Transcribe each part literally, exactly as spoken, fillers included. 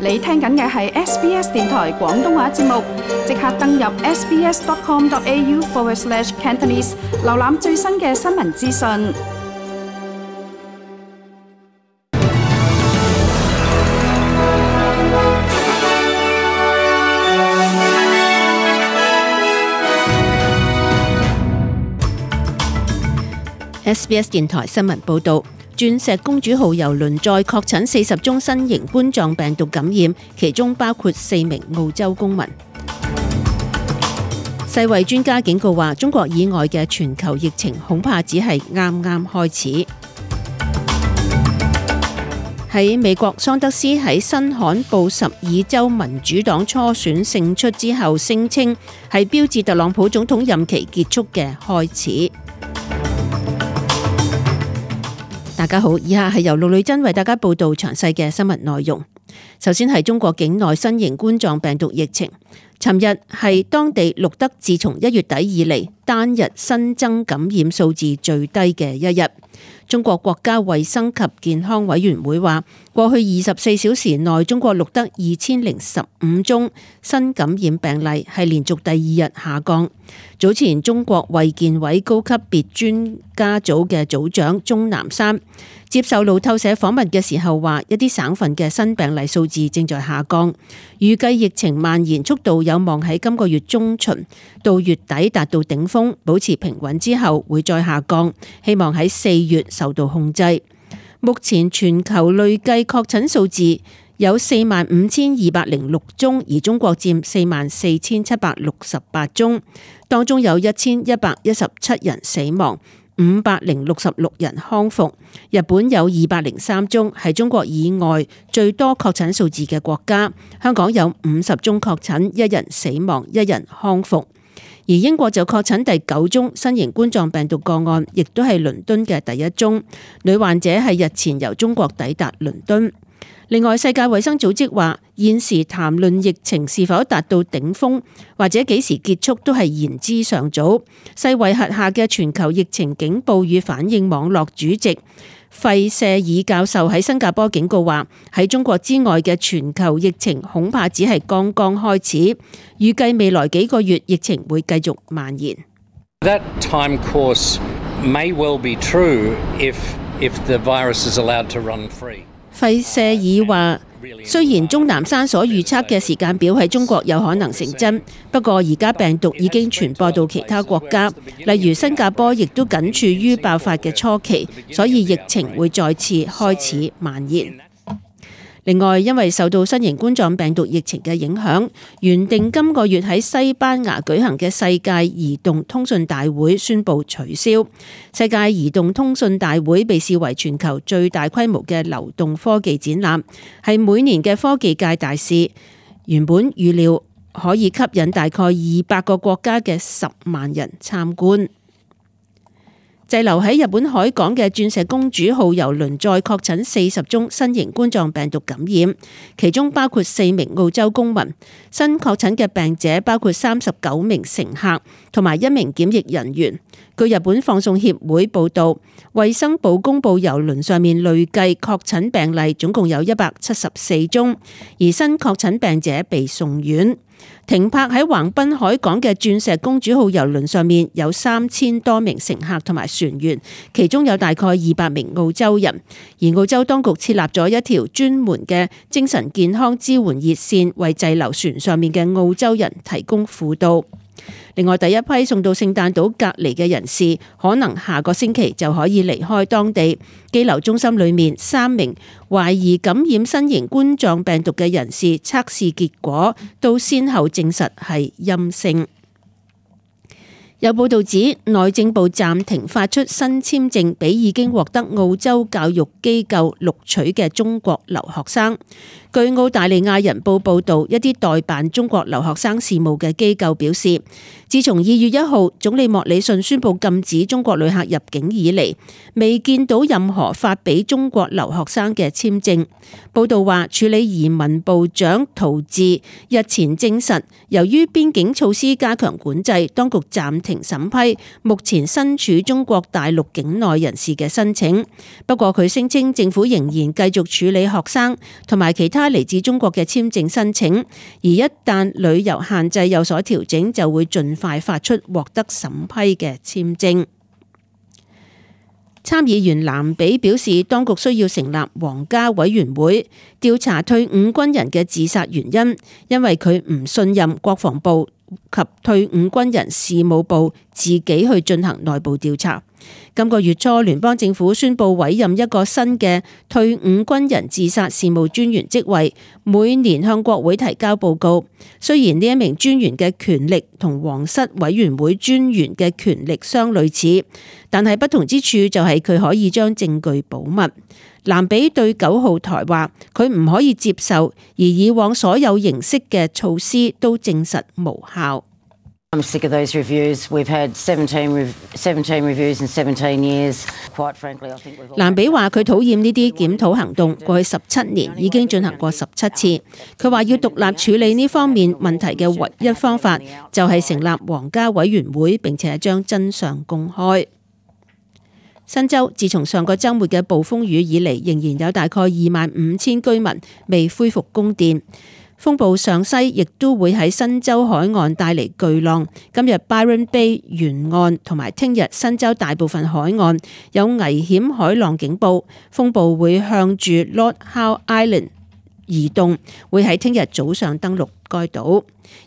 你聽緊嘅係 S B S 電台廣東話節目，即刻登入 sbs.com.au forward slash Cantonese， 瀏覽最新嘅新聞資訊。S B S 電台新聞報道，鑽石公主號郵輪載確診四十宗新型冠狀病毒感染，其中包括四名澳洲公民。世衛專家警告話，中國以外嘅全球疫情恐怕只係啱啱開始。喺美國，桑德斯喺新罕布什爾州民主黨初選勝出之後，聲稱係標誌特朗普總統任期結束嘅開始。大家好，以下係由陸女真為大家報道詳細嘅新聞內容。首先係中國境內新型冠狀病毒疫情，尋日係當地錄得自從一月底以嚟單日新增感染數字最低嘅一日。中國國家衛生及健康委員會話，過去二十四小時內，中國錄得二千零十五宗新感染病例，係連續第二日下降。早前中國衛健委高級別專家組嘅組長鍾南山接受路透社訪問嘅時候話，一啲省份嘅新病例數字正在下降，預計疫情蔓延速度有望喺今個月中旬到月底達到頂峰，保持平穩之後會再下降，希望喺四月受到控制。目前全球累計確診數字有四萬五千二百零六宗，而中國佔四萬四千七百六十八宗，當中有一千一百一十七人死亡，五百零六十六人康復。日本有二百零三宗，係中國以外最多確診數字嘅國家。香港有五十宗確診，一人死亡，一人康復。而英國就確診第九宗新型冠狀病毒個案，亦都係倫敦嘅第一宗。女患者係日前由中國抵達倫敦。另外，世界衛生組織話，現時談論疫情是否達到頂峰或者幾時結束都係言之尚早。世衛轄下嘅全球疫情警報與反應網絡主席費舍爾教授喺新加坡警告話，喺中國之外嘅全球疫情恐怕只係剛剛開始，預計未來幾個月疫情會繼續蔓延。That time course may well be true if if the virus is allowed to run free. 費舍爾話，雖然鍾南山所預測嘅時間表喺中國有可能成真，不過而家病毒已經傳播到其他國家，例如新加坡亦都僅處於爆發嘅初期，所以疫情會再次開始蔓延。另外，因為受到新型冠狀病毒疫情嘅影響，原定今個月喺西班牙舉行嘅世界移動通訊大會宣布取消。世界移動通訊大會被視為全球最大規模嘅流動科技展覽，係每年嘅科技界大事。原本預料可以吸引大概二百個國家嘅十萬人參觀。滯留喺日本海港嘅鑽石公主號郵輪載確診四十宗新型冠狀病毒感染，其中包括四名澳洲公民。新確診嘅病者包括三十九名乘客同埋一名檢疫人員。據日本放送協會報道，衛生部公布郵輪上面累計確診病例總共有一百七十四宗，而新確診病者被送院。停泊喺橫濱海港嘅鑽石公主號郵輪上面有三千多名乘客同埋船員，其中有大概二百名澳洲人。而澳洲當局設立咗一條專門嘅精神健康支援熱線，為滯留船上面嘅澳洲人提供輔導。另外，第一批送到聖誕島隔離嘅人士，可能下個星期就可以離開當地。羈留中心裏面三名懷疑感染新型冠狀病毒嘅人士測試結果都先後證實係陰性。有報道指，內政部暫停發出新簽證俾已經獲得澳洲教育機構錄取嘅中國留學生。據澳大利亞人報報導，一啲代辦中國留學生事務嘅機構表示，自從二月一號總理莫里遜宣布禁止中國旅客入境以嚟，未見到任何發俾中國留學生嘅簽證。報導話，處理移民部長陶治日前證實，由於邊境措施加強管制，當局暫停審批目前身處中國大陸境內人士嘅申請。不過佢聲稱政府仍然繼續處理學生同埋其他嚟自中國嘅簽證申請，而一旦旅遊限制有所調整，就會盡快發出獲得審批嘅簽證。參議員藍比表示，當局需要成立皇家委員會調查退伍軍人嘅自殺原因，因為佢唔信任國防部及退伍軍人事務部自己去進行內部調查。今個月初，聯邦政府宣布委任一個新嘅退伍軍人自殺事務專員職位，每年向國會提交報告。雖然呢一名專員嘅權力同皇室委員會專員嘅權力相類似，但係不同之處就係佢可以將證據保密。藍比對九號台話，佢唔可以接受，而以往所有形式嘅措施都證實無效。I'm sick of those reviews. We've had seventeen, rev- seventeen reviews in seventeen years. Quite frankly, I think we've all... 藍比話佢討厭呢啲檢討行動，過去十七年已經進行過十七次。佢話要獨立處理呢方面問題嘅唯一方法就係成立皇家委員會，並且將真相公開。新州自從上個週末嘅暴風雨以嚟，仍然有大概二萬五千居民未恢復供電。風暴上西亦都會喺新州海岸帶嚟巨浪。今日 Byron Bay 沿岸同埋聽日新州大部分海岸有危險海浪警報。風暴會向住 Lord Howe Island 移動，會喺聽日早上登陸該島。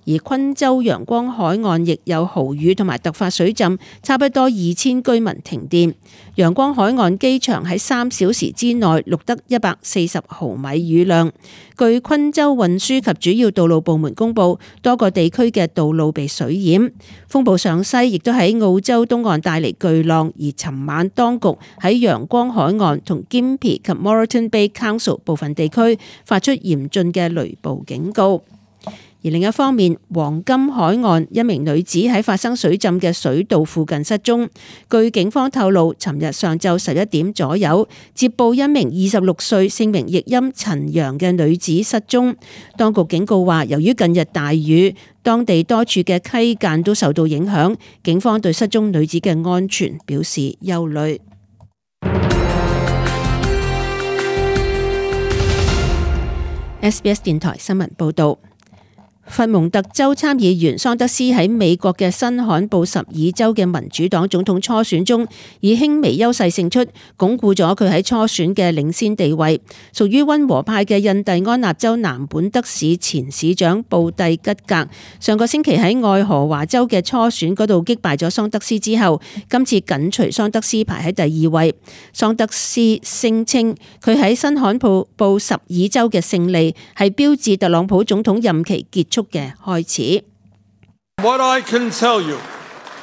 而昆州陽光海岸亦有豪雨同埋突發水浸，差不多二千居民停電。陽光海岸機場喺三小時之內錄得一百四十毫米雨量。據昆州運輸及主要道路部門公佈，多個地區嘅道路被水淹。風暴上西亦都喺澳洲東岸帶嚟巨浪，而尋晚當局喺陽光海岸同 Gympie 及 Moreton Bay Council 部分地區發出嚴峻嘅雷暴警告。而另一方面，黃金海岸一名女子喺發生水浸嘅水道附近失蹤。據警方透露，尋日上晝十一點左右接報一名二十六歲姓名譯音陳陽嘅女子失蹤。當局警告話，由於近日大雨，當地多處嘅溪澗都受到影響，警方對失蹤女子嘅安全表示憂慮。S B S 電台新聞報道。佛蒙特州參議員桑德斯喺美國嘅新罕布什爾州嘅民主黨總統初選中以輕微優勢勝出，鞏固咗佢喺初選嘅領先地位。屬於溫和派嘅印第安納州南本德市前市長布蒂吉格上個星期喺愛荷華州嘅初選嗰度擊敗咗桑德斯之後，今次緊隨桑德斯排喺第二位。桑德斯聲稱佢喺新罕布什爾州嘅勝利係標誌特朗普總統任期結束嘅開始。What I can tell you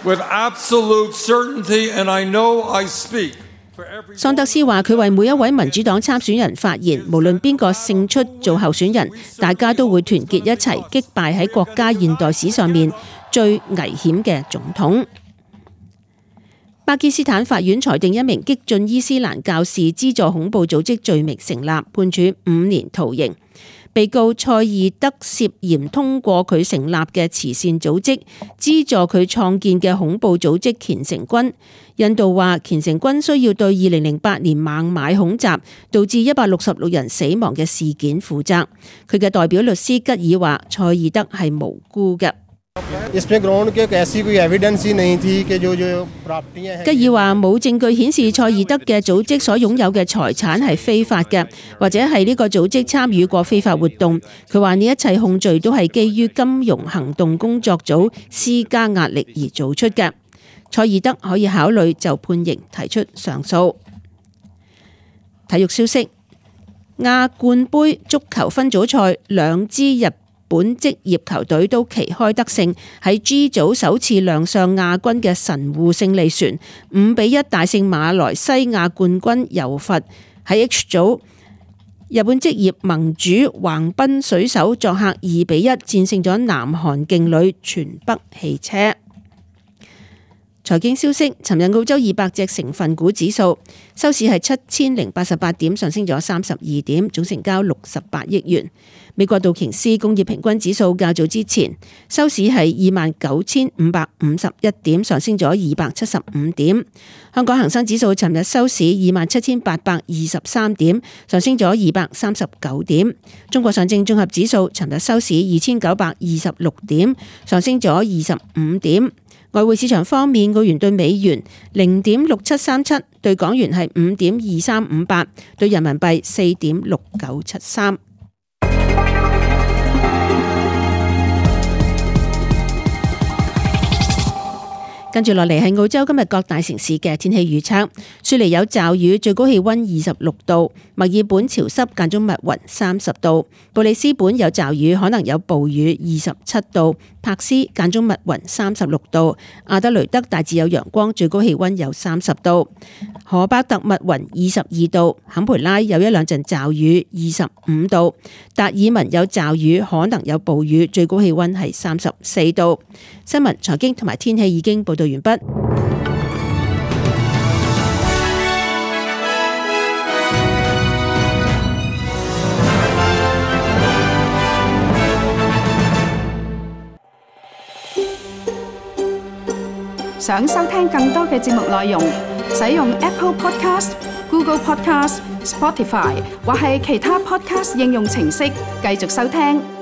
with absolute certainty, and I know I speak for every... 桑德斯話：佢為每一位民主黨參選人發言，無論邊個勝出做候選人，大家都會團結一齊擊敗喺國家現代史上面最危險嘅總統。巴基斯坦法院裁定一名激進伊斯蘭教士資助恐怖組織罪名成立，判處五年徒刑。被告賽義德涉嫌通過佢成立嘅慈善組織資助佢創建嘅恐怖組織虔誠軍。印度話虔誠軍需要對二零零八年孟買恐襲導致一百六十六人死亡嘅事件負責。佢嘅代表律師吉爾話賽義德係無辜嘅。吉爾話冇證據顯示賽義德嘅組織所擁有嘅財產係非法嘅，或者係呢個組織參與過非法活動。佢話呢一切控罪都係基於金融行動工作組施加壓力而做出嘅。賽義德可以考慮就判刑提出上訴。體育消息：亞冠盃足球分組賽，兩支日本職業球隊都旗開得勝，喺 G 組首次亮相亞軍嘅神戶勝利船五比一大勝馬來西亞冠軍柔佛。喺 H 組，日本職業盟主橫濱水手作客二比一戰勝咗南韓勁旅全北汽車。財經消息，尋日澳洲二百隻成分股指數收市係七千零八十八點，上升咗三十二點，總成交六十八億元。美國道瓊斯工業平均指數較早之前收市係二萬九千五百五十一點，上升咗二百七十五點。香港恒生指數尋日收市二萬七千八百二十三點，上升咗二百三十九點。中國上證綜合指數尋日收市二千九百二十六點，上升咗二十五點。外匯市場方面，澳元對美元零點六七三七，對港元係五點二三五八，對人民幣四點六九七三。跟住落嚟係澳洲今日各大城市嘅天氣預測。雪梨有驟雨，最高氣溫二十六度；墨爾本潮濕間中密雲，三十度；布里斯本有驟雨，可能有暴雨，二十七度；柏斯間中密雲，三十六度；阿德雷德大致有陽光，最高氣溫有三十度；荷巴特密雲，二十二度；坎培拉有一兩陣驟雨，二十五度；達爾文有驟雨，可能有暴雨，最高氣溫係三十四度。新聞、財經同埋天氣已經報道完畢。想收聽更多嘅節目內容，使用 Apple Podcast、Google Podcast、Spotify 或係其他 Podcast 應用程式繼續收聽。